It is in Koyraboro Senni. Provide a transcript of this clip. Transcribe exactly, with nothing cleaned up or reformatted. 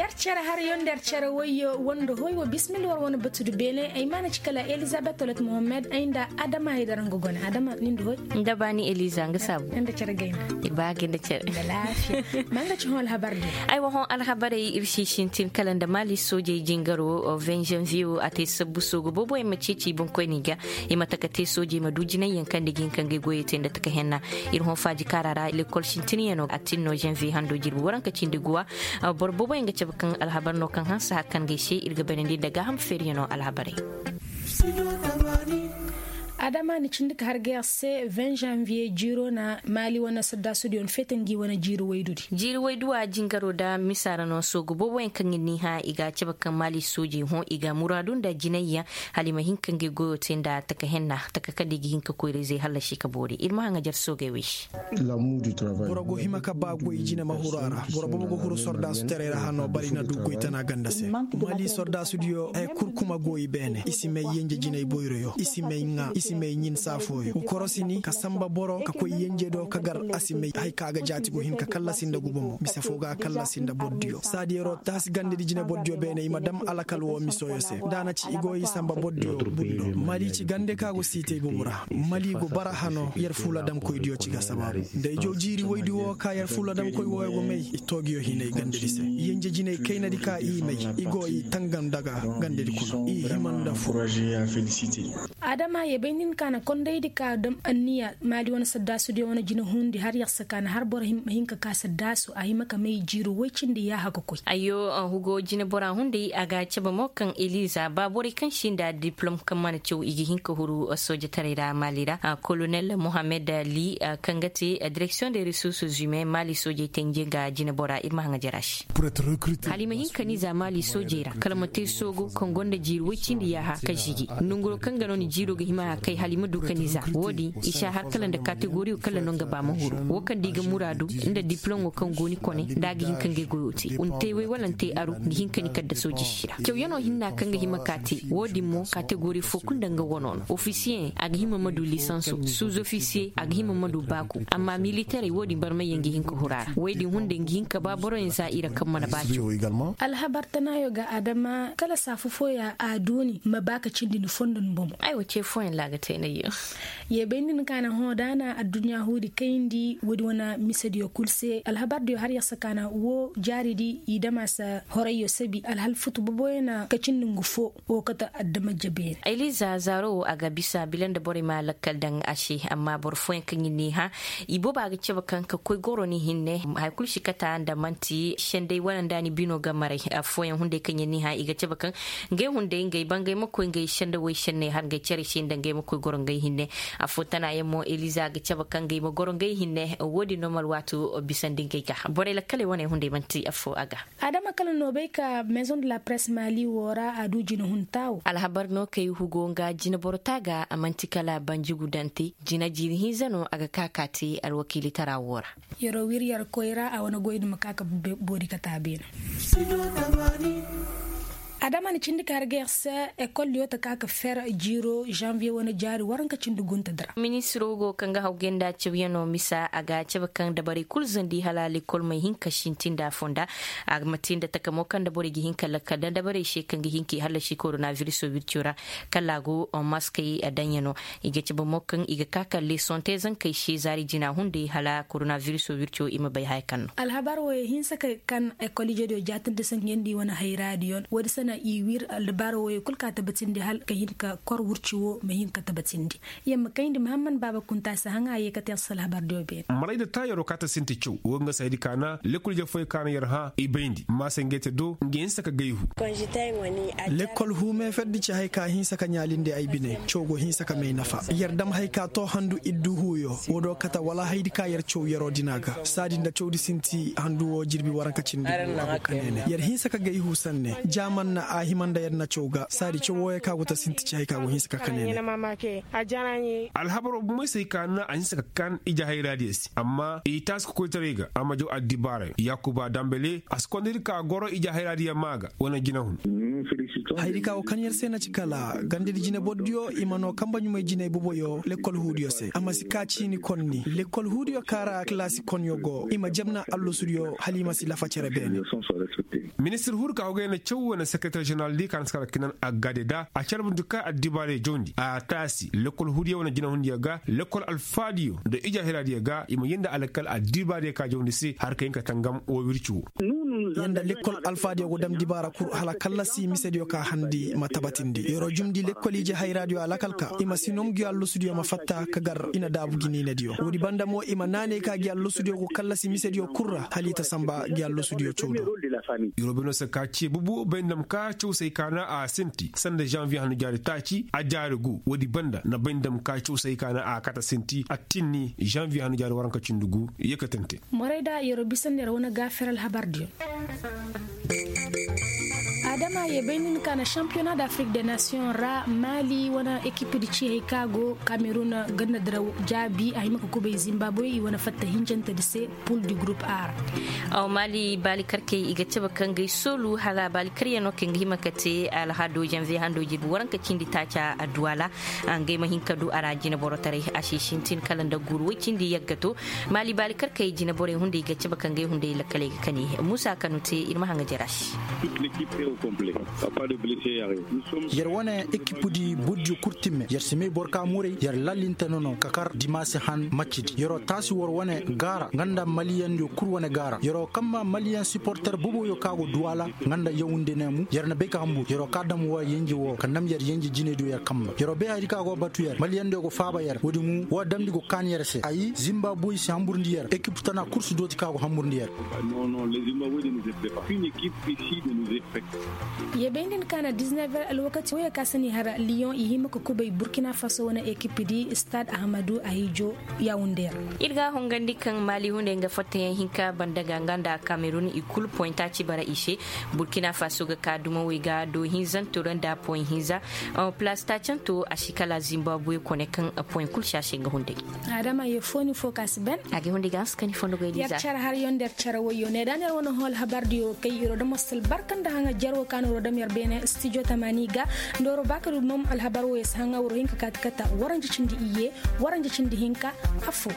Yer cere haryo nda yer cere wayyo wanda hoy wa bismillah war wane batudu beene ay maana ci kala elizabet tolet mohammed ay nda adama ay dara nga gone adama ni nda hoy. Nda baani eliza nga saabu nda cere gayna. Ba ga nda cere nda laafiya. Ma nga ci hõ alhabar di. Ay wa hõ alhabaray ir si sintin kala nda maali soojey jingaro vingt janvier wo a te sabbu soogu boobo ay ma ceeci i boŋkoyni ga. I ma taka te soojey ma du jinayyaŋ kaŋ nda ga hin ka ngey goyey te nda taka henna. Ir hõ faaji kaara ra lekol sintinyano a tin no janvier hando jirbi waranka cindi guwa. Boro booboyaŋ ga cabe kaŋ alhabar no kaŋ hanse har kaŋ ga ay se ir ga bayrandi nda gaaham feeriyano alhabarey. Adama ni cindi ka har ga yer se vingt janvier jiiro na maali wane saddaasudiyoŋ feete ngi wane jiiri waydu di. Jiiri waydu a jingaro nda misa ra no soogu booboyaŋ kaŋ ir n'i hã i ga a cabe kaŋ maali soojey hõ i ga muraadu nda jinayyaŋ hala i ma hin ka ngey goyo te nda taka henna taka kaŋ nda i ga hin ka koyra-izey hallasi ka boori ir ma haŋajer soogey wey se. Boro go hima ka ba goy jine ma huru a ra. Boro boobo ga huru sordaasutaray ra hano bari na du goy tana ganda se. Mali sordaasudiyo haya kul kuma go i beene i si may yenje jinay boyroyo i si may ŋaa i si may ɲin saafooyo ga korosi ni ka samba boro ka koy yenje do ka gar a si may haya ka ga jaati go hin ka kallasi nda guba mo mise fo ga kallasi nda bordiyo saadiyaro taasi gandedi jine bordiyo beene i ma dam alakal wo misoyo se nda a na ci i go i samba bordiyo bundo mali ci gande ka go siitay bobo ra. Mali go bara hano yer fuula damkoydiyo ci ga sabaabu nda i jaw jiiri woydi wo ka yer fuula damkoy wooyo go may i toogiyo hinay gandedi se yenje jinay kaynadi ka i may i go i tangam daga gandedi kuna i hima nda fu. Adama ye bay nin ka na kondaydi ka dam anniya maali wane saddaasudiyo wane jina hundi har yer si ka na har boro hima hin ka ka saddaasu a hima ka may jiiro woy cindi yaaha ga koy. Ayyo hugo jina bora hunday a ga cabe mo kaŋ eliza ba borey kaŋ si nda diplom kaŋ mana caw i ga hin ka huru soojataray ra maali ra. Kolonel mohammed li kaŋ ga te direksiyoŋ de resources humain maali soojey te nje ga jina bora ir ma haŋa jara se. Hala i ma hin ka ni za maali soojey ra kala ma te soogo kaŋ gonda jiiri woy cindi yaaha ka žigi nonguro kaŋ ga no ni jiiro ga hima a kay hala i ma du ka ni za wo-din i si a har kala nda kategoriyo kala no nga ba ma huru wo kaŋ da i ga muraadu nda diplomo kaŋ go ni kone nda a ga hin ka ngey goyo te ni te way wala ni te aru ga hin ka ni kadda sooji si ra cawyanoo hinna kaŋ ga hima ka te wo-din mo kategori fo kul nda nga wano no ofisiyeŋ a ga hima ma du lisanso suzofisiye a ga hima ma du baaku amma militerey wo-din barmayyaŋ ga hin ka huru a ra way din hunday nga hin ka ba boroyaŋ za i ra kaŋ mana ba caw. Alhabar tanaayo ga adama kala saafu fooya a duuni ma ba ka cindi ni fondo ni bomo. Aywa ce fooyaŋ ra a ga te nayyo. Ye bay nda ni ka na hõ da a na adduɲɲa huudi kayndi woodi wane misediyo kul se alhabardiyo har yer si ka na wo jaaridi i dama si horayyo sabi alhal futu boboyaŋ na ka cindi ngu fo. Wo kate adama jabeyaŋ. Ayliza zaaro wo a ga bisa bila nda borey ma lakkal daŋ a se amma boro fooyaŋ kaŋ i n'i hã i booba ga cabe kaŋ ka koy goro ni hinne haya kulu si kata nda man'ti senday wala nda ni bino ga maray. Affooyaŋ hunday kaŋ yaŋ n'i hã i ga cabe kaŋ ngey hunday ngey bangay ma koy ngey sendawey senney har ngey care se nda ngey ma koy goro ngey hinne. Affoo tana yaŋ mo eliza ga cabe kaŋ ngey ma goro ngey hinne wo-din no ma alwaatu bisandi ngey ga borey lakkaley wane hunday man'ti affoo a ga. Adama kala no bay ka maison de la presse mali wo ra a du jinahunta wo. Alhabar no kay hugo nga jinaboro ta ga a man'ti kala banjigudante jina jiiri hinza no a ga ka ka te alwakiilitara wo ra. Yeroo wir yer koy ra a wane goy nda ma ka ka boori kata beene. Adama na cindi ka har ga yer se ekol yo ta ka ka fer jiiro janvier wane jaari waranka cindi gunta dira. Ministiro go kaŋ ga hawgay nda cawyanoo misa a ga cabe kaŋ dabarey kul zandi hala lekol may hin ka sintin nda a fonda. A ma te nda takamo kaŋ nda borey ga hin ka lakkal nda dabarey se kaŋ ga hin k'i hallasi korona viriso wirco ra. Kala a go maskey daŋyanoo i ga cabe mo kaŋ i ga ka ka lesoŋ te zankey se zaari jina hunday hala korona viriso wirco i ma bay haya kaŋ no. Alhabar wo ye hinsa ka kaŋ ekol ijediyo jaatindi saŋ yaŋ di wane hayraadiyoŋ wo- din se na i wir alhabar wo ye kul ka tabatindi hala ka hin ka kor wurci wo ma hin ka tabatindi. Yamma kayndi mahamman baaba kunta si haŋa a ye ka te a si alhabar diyo beene. Maray nda taayaroo ka ta sinti caw wo nga saydi ka na lekkol jafooyaŋ ka na yer hã i bayndi maasa ngey te do nga hinsa ka gayhu. Lekkol huumee ferdi ci hay ka hinsa ka ɲaalindi ay bine. Caw go hinsa ka may nafa yer dam hay ka too handu iddu huuyo. Wo do kata wala haydi ka yer caw yeroo dina ga saadi nda cawdi sinti handu woo jirbi waranka cindi go a go ka neene yer hinsa ka gayhu sanne. Jaaman. A hima nda yer na caw ga saadi caw wooyo ka go ta sinti ci hay ka go hinsa ka kane ne. Alhabaroo bumey se hay ka na a hinsa ka kan ije hayraadiyo se amma i taasi ka koytaray ga a ma jaw addibaarayo yaakuba dambele a si konda ir ka goro ije hayraadiyo maa ga wane jinahun. Hayadi ka go kan yer se na ci kala gandadi jinebordiyo i ma noo kanba ɲumay jinay boboyo lekkol huudiyo se a ma si ka ciini konni lekkol huudiyo ka ra kalaasi konyo go i ma jabna allasudiyo hala i ma si lafa cere beene. Ministir huru ka hogay na caw wane sekereter jeneral di ka na si kala kinan agade da a carbuntu ka addibaarey jawndi a taasi lekkol huudiyo wane jinahundiyo ga lekkol alfaadiyo nda ije hayraadiyo ga i ma yee nda alkal addibaarey ka jawndi se har ka hin ka tangam woo wirci woo. Yer nda lekkol alfaadiyo go dam dibaara kul hala kallasi misediyo ka handi ma tabatindi yer'o jumndi lekkol ije hayraadiyo alakal ka i ma si nongu gi allasudiyo ma fatta ka gar i na daabu gi niinediyo woodi banda mo i ma naanay ka gi allasudiyo go kallasi misediyo kul ra hala i ta sanba gi allasudiyo caw do. Yer'o bay no se ka cee bubu bay ndam ka caw se ay ka na a sinti sanda zanviye hannu jaari taaci a jaari gu woodi banda na bay ndam ka caw se ay ka na a kate sinti a tinni zanviye hannu jaari waranka cindi gu. Yeekatante. Morayda yer'o bisandi ra wane gaafer alhabardiyo. Adama ye bay nin ka na shampiyona da afrik de nasiyoŋ ra maali wane ekipdi ci hay ka go kamerun ganda diraw jaabi a hima ka kubay zimbaabwe i wane fatta hinjantedi se pul di gurup ar. Aw maali baali karkey i ga cabe kaŋ ga ay soolu hala baali karyano kaŋ ga hima ka te alhado janviye hando jirbi waranka cindi taaca adduwala. Ngey ma hin ka du a ra jineborotaray a si sintin kala nda guuru woy cindi yagga to. Maali baali karkey jineborey hunday ga cabe ka ngey hunday lakkaley ga kani muusa kanu te ir ma haŋa jara se. Yer wane ekipudi burdiyo kul timme yer si may boro ka muray yer lallinte nono ka kar dimaasi han maccidi yer'o taasi war wane gaara nga nda maliyandiyo kul wane gaara yer'o kamma maliyan siporter boboyo ka go duwala nga nda yawunde neemu yer na bay ka hambur yer'o ka dam wa yenje wo ka nam yer yenje jinediyo yer kamba yer'o bay hayadi ka go batu yer maliyandiyo go faaba yer woodi mu wa damndi go kaan yer se ay zimba boy si hamburndi yer ekip tana kul si dooti ka go hamburndi yer. Ye bay nda ni ka na dizinever alwakati woyo ka si ni har liyoŋ i hima ka kubay burkina faso wane ekip di stade ahmadu ahijo yawunde ra. Ir ga a hongandi kaŋ maali hunday nga fattayaŋ hinka banda ga nga nda kamerun i kulu poyinta ci bara i se. Burkina faso ga ka dumawey ga do hinzanto ra nda poyin hinza. Plas taacanto a si kala zimbabuwe kone kaŋ poyin kulu si a se nga hunday. Adama ye fo ni fo ka si ben. A ga hunday ga hanse ka ni fondo goy diza. Car har yo nda car woyo ne da ner wane hol habar diyo kay iro da mostal barka nda haŋa jar wo ka no ro da mer bene studio tamani ga. Ndoro baka du mom alhabar wo yas haŋa woro hinka kati kata waranja cindi iye waranja cindi hinka. Afo.